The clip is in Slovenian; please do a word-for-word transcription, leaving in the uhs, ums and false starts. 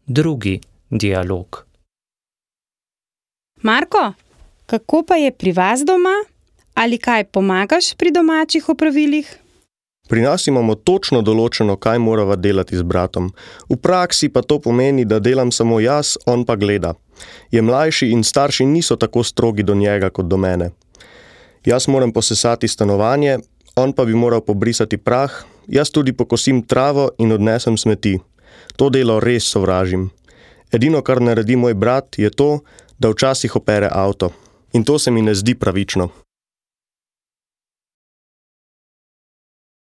drugi dialog. Marko, kako pa je pri vas doma? Ali kaj pomagaš pri domačih opravilih? Pri nas imamo točno določeno, kaj morava delati z bratom. V praksi pa to pomeni, da delam samo jaz, on pa gleda. Je mlajši in starši niso tako strogi do njega kot do mene. Jaz moram posesati stanovanje, on pa bi moral pobrisati prah, jaz tudi pokosim travo in odnesem smeti. To delo res sovražim. Edino, kar naredi moj brat, je to, da včasih opere avto. In to se mi ne zdi pravično.